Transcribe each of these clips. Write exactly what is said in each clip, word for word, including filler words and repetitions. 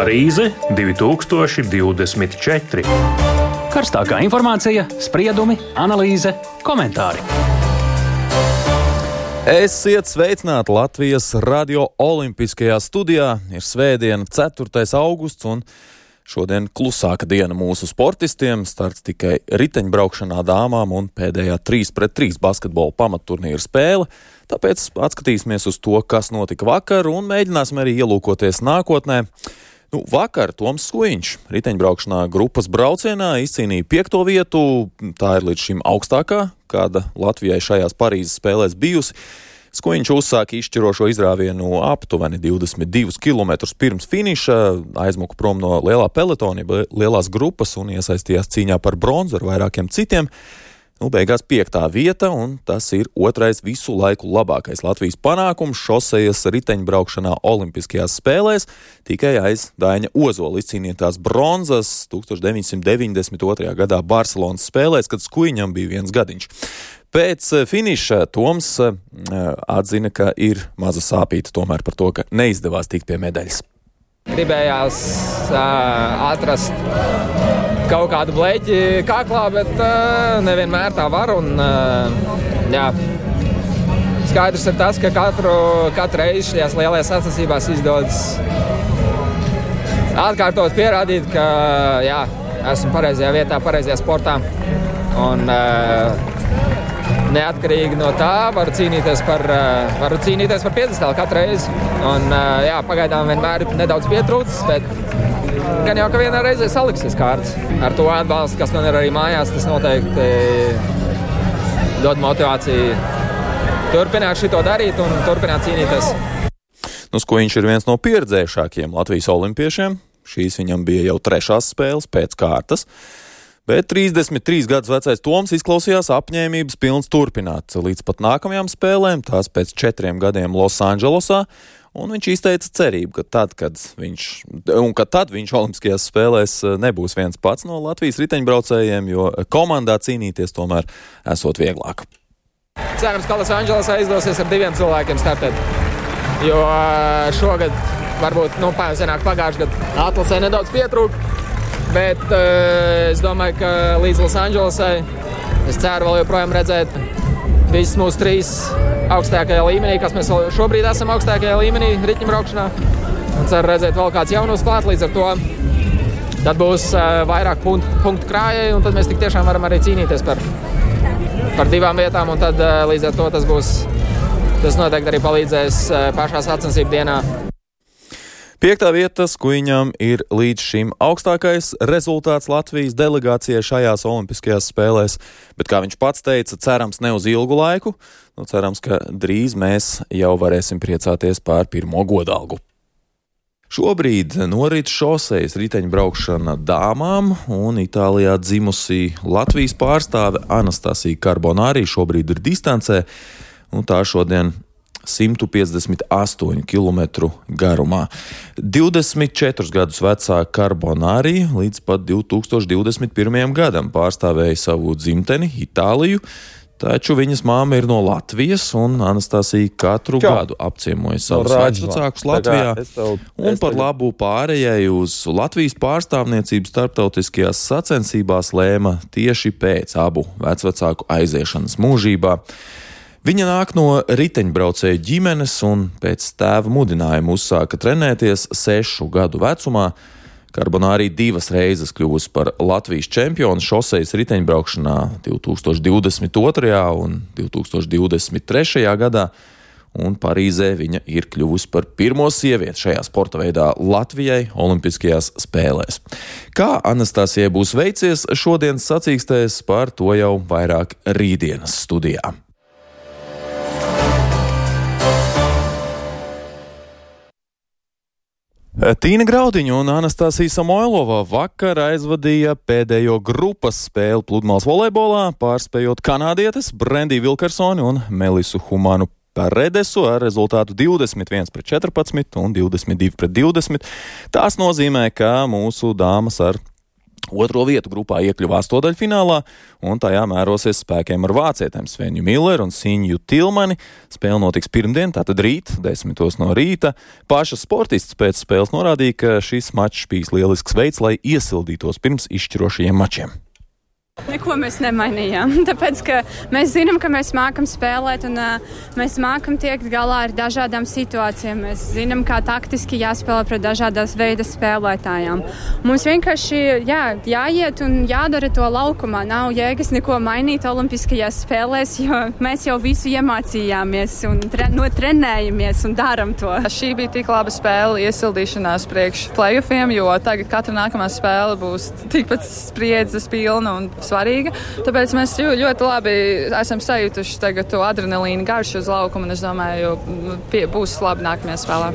Parīze divi tūkstoši divdesmit četri. Karstākā informācija, spriedumi, analīze, komentāri. Esiet sveicināti Latvijas radio olimpiskajā studijā. Ir svētdiena, ceturtais augusts, un šodien klusāka diena mūsu sportistiem. Starts tikai riteņbraukšanā dāmām un pēdējā trīs pret trīs basketbola pamatturnīra spēle. Tāpēc atskatīsimies uz to, kas notika vakar, un mēģināsim arī ielūkoties nākotnē. Nu, vakar Toms Skujiņš riteņbraukšanā grupas braucienā izcīnīja piekto vietu. Tā ir līdz šim augstākā, kāda Latvijai šajās Parīzes spēlēs bijusi. Skujiņš uzsāka izšķirošo izrāvienu aptuveni divdesmit divus kilometrus pirms finiša, aizmuka prom no lielā peletona, lielās grupas un iesaistījās cīņā par bronzu ar vairākiem citiem. Nu, beigās piektā vieta, un tas ir otrais visu laiku labākais Latvijas panākums šosejas riteņbraukšanā olimpiskajās spēlēs, tikai aiz Daiņa Ozola izcīnītās bronzas tūkstoš deviņsimt deviņdesmit otrajā gadā Barcelonas spēlēs, kad Skujiņam bija viens gadiņš. Pēc finiša Toms atzina, ka ir maza sāpīta tomēr par to, ka neizdevās tikt pie medaļas. Gribējās uh, atrast kaut kādu bleķi kaklā, bet uh, nevienmēr tā var. Un, uh, jā. Skaidrs ir tas, ka katru, katru reizi šajās lielajās sacensībās izdodas atkārtot pierādīt, ka jā, esmu pareizajā vietā, pareizajā sportā. Un, uh, neatkarīgi no tā varu cīnīties par, uh, varu cīnīties par piedestālu katru reizi. Un, uh, jā, pagaidām vienmēr ir nedaudz pietrūcis, bet gan jau, ka vienā reizē saliksies kārtas. Ar to atbalstu, kas man ir arī mājās, tas noteikti dod motivāciju turpināt šito darīt un turpināt cīnīties. Nu, Skujiņš ir viens no pieredzējušākajiem Latvijas olimpiešiem. Šīs viņam bija jau trešās spēles pēc kārtas. Bet trīsdesmit trīs gadus vecais Toms izklausījās apņēmības pilns turpināt līdz pat nākamajām spēlēm, tās pēc četriem gadiem Losandželosā, un viņš izteica cerību, ka tad, kad viņš, un ka tad viņš olimpiskajās spēlēs nebūs viens pats no Latvijas riteņbraucējiem, jo komandā cīnīties tomēr esot vieglāk. Cerams, ka Losandželosā izdosies ar diviem cilvēkiem startēt, jo šogad, varbūt, nu, senāk pagājuši gadu atlasē nedaudz pietrūka. Bet uh, es domāju, ka līdz Losandželosai es ceru vēl joprojām redzēt visus mūsu trīs augstākajā līmenī, kas mēs šobrīd esam augstākajā līmenī riteņbraukšanā. Un ceru redzēt vēl kāds jaunus klāt, līdz ar to tad būs uh, vairāk punktu, punktu krājēji, un tad mēs tik tiešām varam arī cīnīties par, par divām vietām, un tad uh, līdz ar to tas būs, tas noteikti arī palīdzēs uh, pašā sacensību dienā. Piektā vieta Skujiņam ir līdz šim augstākais rezultāts Latvijas delegācijai šajās olimpiskajās spēlēs, bet, kā viņš pats teica, cerams ne uz ilgu laiku, nu cerams, ka drīz mēs jau varēsim priecāties par pirmo godalgu. Šobrīd norit šosejas riteņbraukšana dāmām, un Itālijā dzimusī Latvijas pārstāve Anastasija Carbonari šobrīd ir distancē, un tā šodien simt piecdesmit astoņu kilometru garumā. divdesmit četrus gadus vecā Carbonari līdz pat divi tūkstoši divdesmit pirmajam gadam pārstāvēja savu dzimteni, Itāliju, taču viņas māma ir no Latvijas, un Anastasija katru Čau. gadu apciemoja savus no vecvecākus Latvijā. Tev, un par labu pārējai uz Latvijas pārstāvniecību starptautiskajās sacensībās lēma tieši pēc abu vecvecāku aiziešanas mūžībā. Viņa nāk no riteņbraucēju ģimenes un pēc tēva mudinājuma uzsāka trenēties sešu gadu vecumā. Carbonari divas reizes kļuvusi par Latvijas čempionu šosejas riteņbraukšanā divi tūkstoši divdesmit otrajā un divi tūkstoši divdesmit trešajā gadā, un Parīzē viņa ir kļuvusi par pirmo sievieti šajā sporta veidā Latvijai olimpiskajās spēlēs. Kā Anastasijai būs veicies šodienas sacīkstēs, par to jau vairāk rītdienas studijā. Tīna Graudiņa un Anastasija Samoilova vakar aizvadīja pēdējo grupas spēli pludmales volejbolā, pārspējot kanādietes Brendiju Vilkersoni un Melisu Humanu Paredesu ar rezultātu divdesmit viens pret četrpadsmit un divdesmit divi pret divdesmit. Tās nozīmē, ka mūsu dāmas ar Otro vietu grupā iekļuva astodaļfinālā, un tajā mērosies spēkiem ar vācietēm Svenju Milleru un Sinju Tilmani. Spēle notiks pirmdien, tātad rīt, desmitos no rīta. Pašas sportists pēc spēles norādīja, ka šis mačs bijis lielisks veids, lai iesildītos pirms izšķirošajiem mačiem. Neko mēs nemainījām, tāpēc, ka mēs zinām, ka mēs mākam spēlēt un uh, mēs mākam tiekt galā ar dažādām situācijām. Mēs zinām, kā taktiski jāspēlē pret dažādās veidas spēlētājām. Mums vienkārši jā, jāiet un jādara to laukumā. Nav jēgas neko mainīt olimpiskajās spēlēs, jo mēs jau visu iemācījāmies un tre- notrenējamies un daram to. Šī bija tik laba spēle iesildīšanās priekš play-offiem, jo tagad katra nākamā spēle būs tikpat spriedzes pilna un svarīga. Tāpēc mēs ļoti labi esam sajutuši tagad to adrenalīnu garšu uz laukumu un es domāju, pie, būs labi nākamajā spēlē.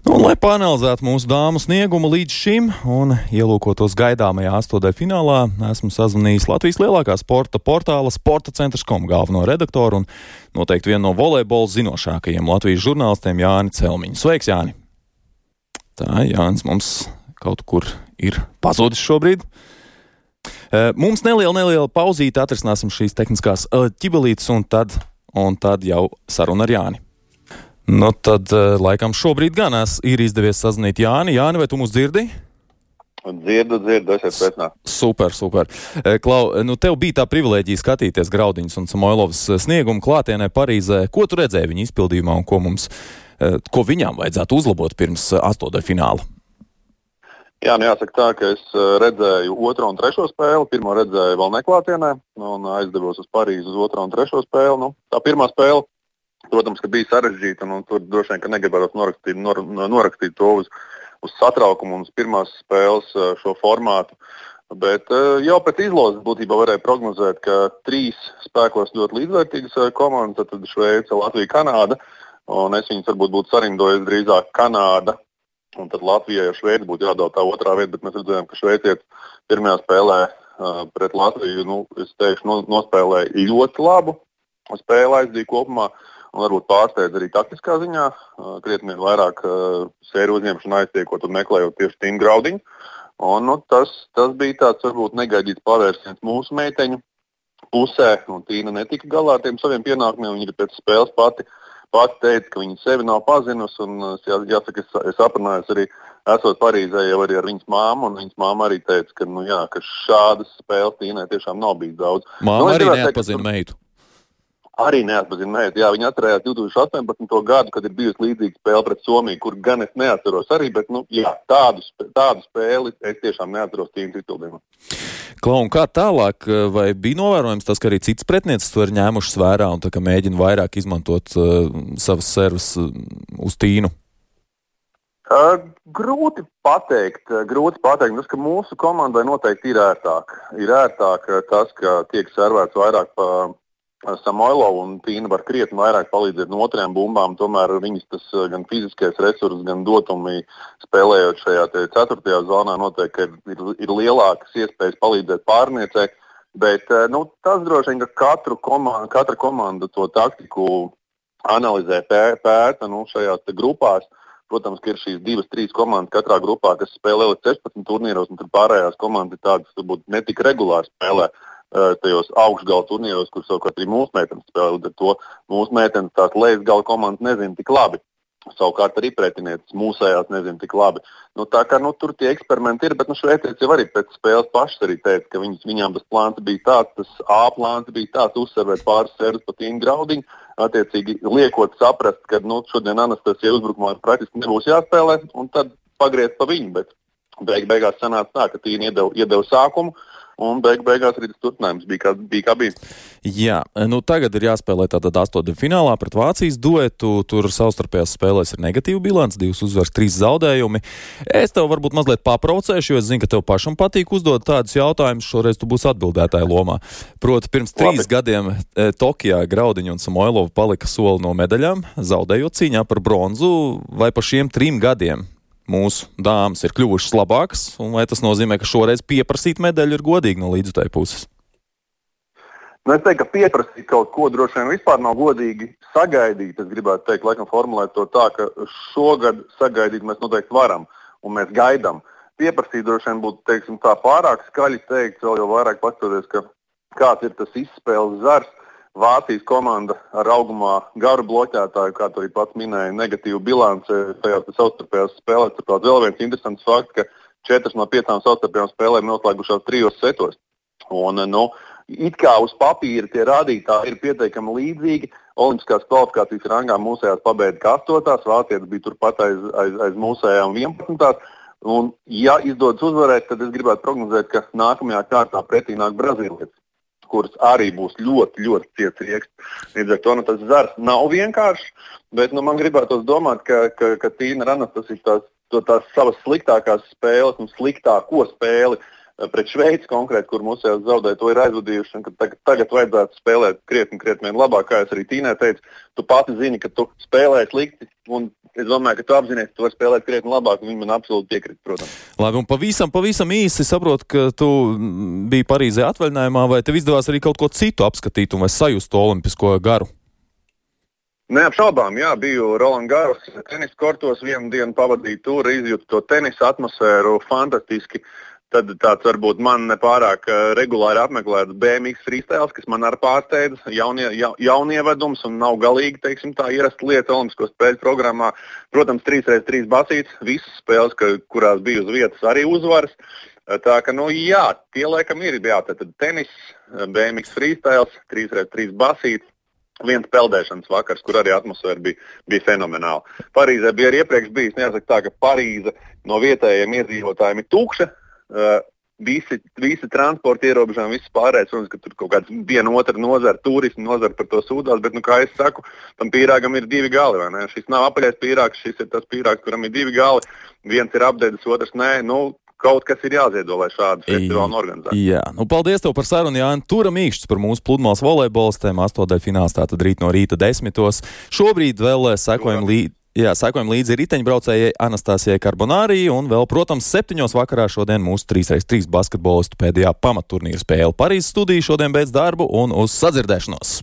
Nu, un, lai panalizētu mūsu dāmu sniegumu līdz šim un ielūkotos gaidāmajā astodaļfinālā, esmu sazvanījis Latvijas lielākā sporta portāla sporta centrs punkt com galveno redaktoru un noteikti vienu no volejbola zinošākajiem Latvijas žurnālistiem Jāni Celmiņu. Sveiks, Jāni! Tā, Jānis mums kaut kur ir pazudis šobrīd. Mums neliela, neliela pauzīte, atrisināsim šīs tehniskās ķibelītes un tad, un tad jau saruna ar Jāni. Nu tad, laikam šobrīd gan es ir izdevies sazvanīt Jāni. Jāni, vai tu mūs dzirdi? Dzirdu, dzirdu, esiet sveicināti. Super, super. Klau, nu tev bija tā privilēģija skatīties Graudiņas un Samoilovas sniegumu klātienē Parīzē. Ko tu redzēji viņa izpildījumā un ko mums ko viņām vajadzētu uzlabot pirms astodaļfināla? Jā, nu jāsaka tā, ka es redzēju otro un trešo spēli. Pirmo redzēju vēl neklātienē un aizdevos uz Parīzi uz otro un trešo spēli. Nu, tā pirmā spēle, protams, ka bija sarežģīta un tur droši vien, ka negribētu norakstīt, nor, norakstīt to uz, uz satraukumu un uz pirmās spēles šo formātu. Bet jau pēc izlozes būtībā varēja prognozēt, ka trīs spēkos ļoti līdzvērtīgas komandas, tad Šveice, Latvija, Kanāda. Un es viņus varbūt būtu sarindojis drīzāk Kanāda, un tad Latvijai ar Šveici būtu jādod tā otrā vieta, bet mēs redzējām, ka šveicietis pirmajā spēlē uh, pret Latviju, nu, es teikšu, no, nospēlēja ļoti labu spēli aizdīja kopumā, un varbūt pārsteidz arī taktiskā ziņā, uh, krietni vairāk uh, sēru uzņemšanu aiztiekot un meklējot tieši Tīnu Graudiņu. Un, nu, tas, tas bija tāds varbūt negaidīts pavērsiens mūsu meiteņu pusē, un Tīna netika galā ar tiem saviem pienākumiem, viņa ir pēc spēles pati Pati teica, ka viņa sevi nav pazinusi, un jā, jāsaka, es, es aprunājos arī, esot Parīzē jau arī ar viņas māmu, un viņas māma arī teica, ka, nu, jā, ka šādas spēles Tīnai tiešām nav bijis daudz. Māma nu, arī neatpazina meitu. Arī neatpazina meitu, jā, viņa atcerējās divi tūkstoši astoņpadsmito gadu, kad ir bijusi līdzīga spēle pret Somiju, kur gan es neatceros arī, bet, nu, jā, tādu, tādu spēli es tiešām neatceros Tīnas izpildījumā. Klau, un kā tālāk, vai bija novērojams tas, ka arī citas pretnieces to ir ņēmušas vērā un tā, ka mēģina vairāk izmantot uh, savas servas uh, uz Tīnu? Uh, grūti pateikt, uh, grūti pateikt, tas, ka mūsu komandai noteikti ir ērtāk. Ir ērtāk uh, tas, ka tiek servēts vairāk pa uh, Samoilovu un Tīna var krietni vairāk palīdzēt no otrajām bumbām, tomēr viņas tas uh, gan fiziskais resurs, gan dotumi spēlējot šajā te ceturtajā zonā noteikti ir, ir, ir lielākas iespējas palīdzēt pārniecei, bet uh, nu, tas droši vien, ka katru komanda, katra komanda to taktiku analizē, pēta nu, šajās te grupās. Protams, ka ir šīs divas, trīs komandas katrā grupā, kas spēlē līdz sešpadsmit turnīros, un tad pārējās komandas ir tādas, kas varbūt netik regulāri spēlē tajos augšgala turnīros, kur savukārt arī mūsu meitenes spēlē. Līdz ar to mūsu meitenes tās lejasgala komandas nezina tik labi. Savukārt arī pretinieces mūsējās nezina tik labi. Nu, tā kā nu, tur tie eksperimenti ir, bet nu, šveicietis jau arī pēc spēles pašas arī teica, ka viņas, viņām tas plāns bija tāds, tas A plāns bija tāds, uzservēt pāris servus pa Tīnu Graudiņu, attiecīgi liekot saprast, ka nu, šodien Anastasija uzbrukumā praktiski nebūs jāspēlē, un tad pagriezt pa viņu, bet beig beigās sanāca tā, ka Tīna iedeva, iedeva sākumu, un beig beigās arī tas turpinājums bija kā, bija kā bija. Jā, nu tagad ir jāspēlē tātad astoņfinālā pret Vācijas duetu, tur savstarpējās spēlēs ir negatīva bilants, divas uzvaras, trīs zaudējumi. Es tev varbūt mazliet papraucēšu, jo es zinu, ka tev pašam patīk uzdot tādus jautājumus, šoreiz tu būsi atbildētāja lomā. Proti, pirms trīs Labi. gadiem e, Tokijā Graudiņa un Samoilova palika soli no medaļām, zaudējot cīņā par bronzu, vai pa šiem trim gadiem mūsu dāmas ir kļuvušas labākas, un vai tas nozīmē, ka šoreiz pieprasīt medaļu ir godīgi no līdzutēju puses? Nu, es teiktu, ka pieprasīt kaut ko droši vien vispār nav godīgi sagaidīt. Es gribētu teikt, laikam formulēt to tā, ka šogad sagaidīt mēs noteikti varam un mēs gaidām. Pieprasīt droši vien būtu, teiksim, tā pārāk skaļi teikt, vēl jau vairāk pastoties, ka kāds ir tas izspēles zars. Vācijas komanda ar augumā garu bloķētāju, kā to arī pats minēja, negatīvu bilanci tajās savstarpējās spēlēs. Tāpēc vēl viens interesants fakts, ka četras no piecām savstarpējām spēlēm noslēgušās trijos setos. Un, nu, it kā uz papīra tie rādītāji ir pietiekami līdzīgi. Olimpiskās kvalifikācijas rangā mūsējās pabeidza kā astotās, vācietis bija turpat aiz, aiz, aiz mūsējām vienpadsmitās. Un, ja izdodas uzvarēt, tad es gribētu prognozēt, ka nākamajā kārtā pretī nāk Brazīlietis, kuras arī būs ļoti, ļoti ciets rieksts. Līdz ar to nu, tas zars nav vienkāršs, bet nu, man gribētos domāt, ka, ka, ka Tīna Ranas tas ir tās, to, tās savas sliktākās spēles un sliktāko spēli pret Šveici konkrēti, kur mūsējās zaudēja, to ir aizvadījuši, un ka tagad, tagad vajadzētu spēlēt krietni, krietni vien labāk, kā es arī Tīnai teicu. Tu pati zini, ka tu spēlē slikti, un es domāju, ka tu apzinies, ka tu vari spēlēt krietni labāk, un viņi man absolūti piekrīt, protams. Labi, un pavisam, pavisam īsi saprotu, ka tu biji Parīzē atvaļinājumā, vai tev izdevās arī kaut ko citu apskatīt un vai sajust to olimpisko garu? Neapšaubām, jā, biju Roland Garros tenis kortos, vienu dienu pavadīju tur, izjūtu to tenisa atmosfēru fantastiski. Tad tāds varbūt man nepārāk regulāri apmeklēts B M X freestyles, kas man arī pārsteidz, jaunie, ja, jaunievedums un nav galīgi, teiksim, tā ierasta lieta Olimpisko spēļu programmā. Protams, trīs reiz trīs basītes, visas spēles, ka, kurās bija uz vietas, arī uzvaras. Tā ka, nu jā, tie laikam ir, jā, tad tenis, B M X freestyles, trīs reiz trīs basītes. Viens peldēšanas vakars, kur arī atmosfēra bija, bija fenomenāla. Parīzē bija arī iepriekš bijis, jāsaka tā, ka Parīze no vietējiem iedzīvotājiem ir tukša. Uh, visi, visi transporta ierobežojumi, viss pārējais, protams, ka tur kaut kāds viena otra nozara, turismu nozara par to sūdās, bet, nu, kā es saku, tam pīrāgam ir divi gali, vai ne? Šis nav apaļais pīrāgs, šis ir tas pīrāgs, kuram ir divi gali, viens ir apdēdis, otrs nē, nu, kaut kas ir jāziedo, lai šādu festivālu organizētu. Jā, nu, paldies tev par sarunu, Jāni. Tura Mīkšķis par mūsu pludmales volejbolistēm, astotdaļfināls tātad rīt no rīta desmitos. Šobrīd vēl sekojam līdzi. Jā, sekojam līdzi riteņbraucējai Anastasijai Karbonārī un vēl, protams, septiņos vakarā šodien mūsu trīs pret trīs basketbolistu pēdējā pamatturnīra spēle. Parīzes studija šodien beidz darbu un uz sadzirdēšanos!